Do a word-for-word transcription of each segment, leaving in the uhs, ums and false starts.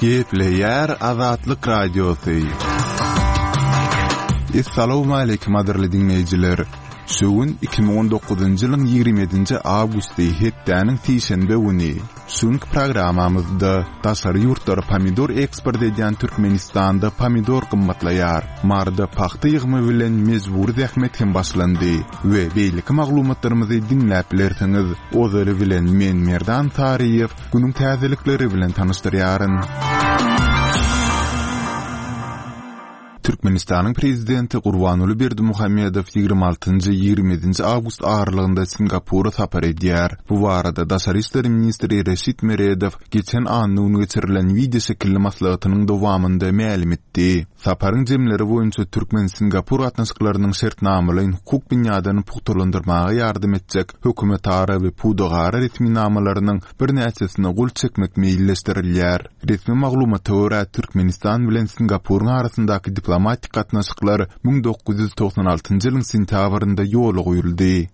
Gepleýär Azatlyk Radiosy. Essalawmaleýkim gadyrly diňleýjiler! Şu gün iki müň on dokuzynjy ýylyň ýigrimi ýedinji awgusty hepdäniň sişenbe güni. Şu günki programmamyzda daşary ýurtlara pomidor eksport edýän Türkmenistanda pomidor gymmatlaýar, Maryda pagta ýygymy bilen mejbury zähmet hem başlandy we beýleki maglumatlarymyzy diňläp bilersiňiz. Ozaly bilen men Merdan Saryýew günüň täzelikleri bilen tanyşdyrýaryn. Türkmenistanyň Prezidenti Gurbanguly Berdimuhamedow ýigrimi altynjy, ýigrimi ýedinji awgust aralygynda Singapura sapar edýär. Bu barada daşary işler ministri Reşit Meredow geçen anna güni geçirilen wideoşekilli maslahatynyň dowamynda mälim etdi. Saparyň jemleri boýunça türkmen-singapur gatnaşyklarynyň şertnamalaýyn-hukuk binýadyny pugtalandyrmaga ýardam etjek hökümetara we pudagara resminamalarynyň birnäçesine gol çekmek meýilleşdirilýär. Resmi maglumata görä, Türkmenistan bilen Singapuryň arasyndaky diplomatik gatnaşyklar müň dokuz ýüz togsan altynjy ýylyň sentýabrynda ýola goýuldy.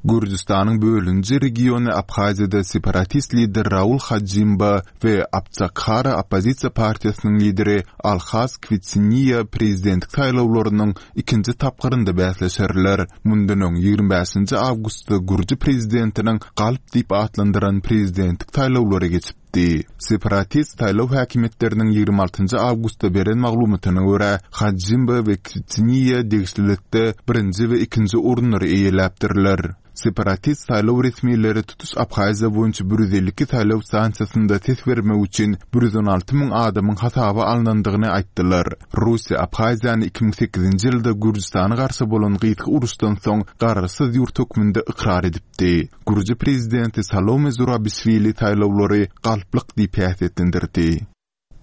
Gürjüstanyň bölüniji regiony Abhaziýada separatist lider Raul Hajimba we Abçakhara oppozisiýa partiýasynyň lideri Alhaz Kwitsiniýa prezidentlik saýlawlarynyň ikinji tapgyrynda bäsleşerler. Mundan öň, ýigrimi bäşinji awgustda gürji prezidentiniň galp diýip atlandyran prezidentlik saýlawlary geçipdi. Separatist saýlaw häkimiýetleriniň ýigrimi altynjy awgustda beren maglumatyna görä, Hajimba we Kwitsiniýa degişlilikde birinji we ikinji orunlary eýeläpdirler. Separatist saýlaw resmileri tutuş Abhaziýa boýunça bir ýüz elli iki saýlaw stansiýasynda ses bermek üçin bir ýüz on alty müň adamyň hasaba alnandygyny aýtdylar. Russiýa Abhaziýany iki müň sekizinji ýylda Gürjüstana garşy bolan gysga uruşdan soň garaşsyz ýurt hökmünde ykrar edipdi. Gürji prezidenti Salome Zurabişwili saýlawlary galplyk diýip häsiýetlendirdi.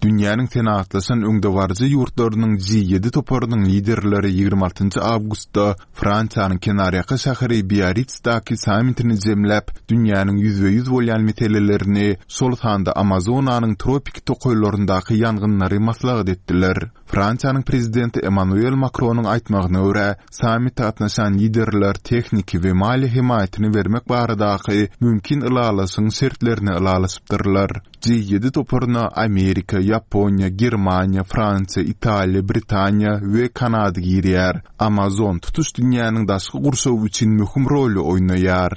Dünýäniň senagatlaşan öňdebaryjy ýurtlarynyň G ýedi toparynyň liderleri ýigrimi altynjy awgustda Fransiýanyň kenarýaka şäheri Biarritsdäki sammitini jemläp, dünýäniň ýüzbe-ýüz bolýan meselelerini, şol sanda Amazonanyň tropiki tokaýlaryndaky ýangynlary maslahat etdiler. Fransiýanyň prezidenti Emmanuel Makronyň aýtmagyna görä, sammite gatnaşan liderler tehniki we maliýe hemaýatyny bermek baradaky mümkin ylalaşygyň şertlerini ylalaşypdyrlar. G ýedi toparyna Amerika, Ýaponiýa, Germaniýa, Fransiýa, Italiýa, Britaniýa we Kanada girýär. Amazon tutuş dünýäniň daşky gurşawy üçin möhüm roly oýnaýar.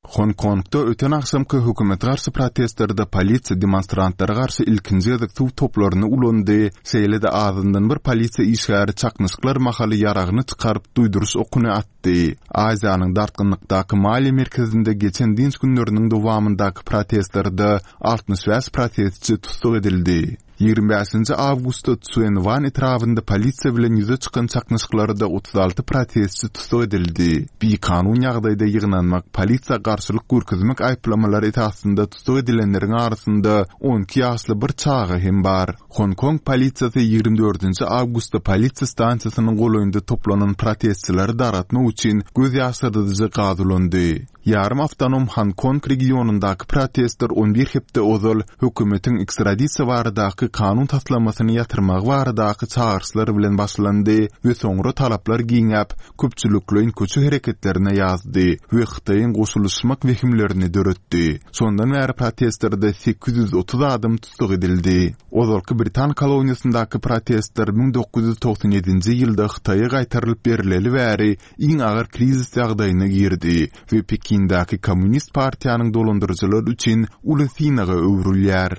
Honkongda öten agşamky hökümete garşy protestlerde polisiýa demonstrantlara garşy ilkinji gezek suw toplaryny ulandy, şeýle-de azyndan bir polisiýa işgäri çaknyşyklar mahaly ýaragyny çykaryp duýduryş okuny atdy. Aziýanyň dartgynlykdaky maliýe merkezinde geçen dynç günleriniň dowamyndaky protestlerde altmyş bäş protestçi tussag edildi. Ýigrimi bäşinji awgustda Tsuen Wan etrabynda polisiýa bilen ýüze çykan çaknyşyklarda otuz alty protestçi tussag edildi. Bikanun ýagdaýda ýygnanmak, polisiýa garşylyk görkezmek aýyplamalary esasynda tussag edilenleriň arasynda on iki ýaşly bir çaga hem bar. Honkong polisiýasy ýigrimi dördünji awgustda polisiýa stansiýasynyň golaýynda toplanan protestçileri dargatmak üçin göz ýaşardyjy gaz ulandy. Ýarym awtonom Honkong regionyndaky protestler on bir hepde ozal hökümetiň ekstradisiýa baradaky kanun taslamasyny ýatyrmagy baradaky çagyryşlar bilen başlandy we soňra talaplar giňäp, köpçülikleýin köçe hereketlerine ýazdy we Hytaýyň goşulyşmak wehimlerini döretdi. Şondan bäri protestlerde sekiz ýüz otuz adam tussag edildi. Ozalky britan koloniýasyndaky protestler müň dokuz ýüz togsan ýedinji ýylda Hytaýa gaýtarylyp berileli bäri iň agyr krizis ýagdaýyna girdi we Pekindäki Kommunist partiýanyň dolandyryjylary üçin uly synaga öwrülýär.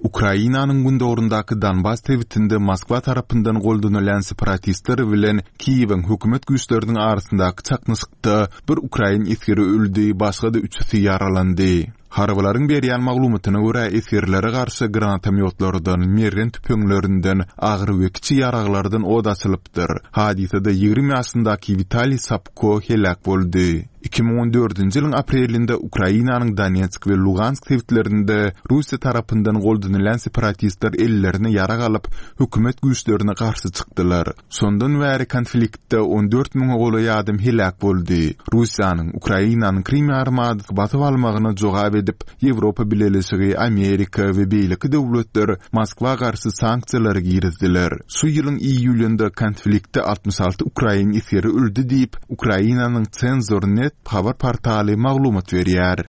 Ukrainanyň gündogaryndaky Donbas sebitinde Moskwa tarapyndan goldanylýan separatistler bilen Kiýewiň hökümet güýçleriniň arasyndaky çaknyşykda bir ukrain esgeri öldi, başga-da üçüsi ýaralandy. Harbylaryň berýän maglumatyna görä, esgerlere garşy granatomýotlardan, mergen tüpeňlerinden, agyr we kiçi ýaraglardan ot açylypdyr. Hadysada ýigrimi ýaşyndaky Witaliý Sapko heläk boldy. Iki müň on dördünji ýylyň aprelinde Ukrainanyň Donetsk we Lugansk sebitlerinde Russiýa tarapyndan goldanylýan separatistler ellerine ýarag alyp, hökümet güýçlerine garşy çykdylar. Şondan bäri konfliktde on dört müňe golaý adam heläk boldy. Russiýanyň Ukrainanyň Krym ýarymadasy basyp almagyna jogap edip, Ýewropa Bileleşigi, Amerika we beýleki döwletler Moskwa garşy sanksiýalary girizdiler. Şu ýylyň iýulynda konfliktde altmyş alty ukrain esgeri öldi diýip, Ukrainanyň Cenzor. Net habar portaly maglumat berýär.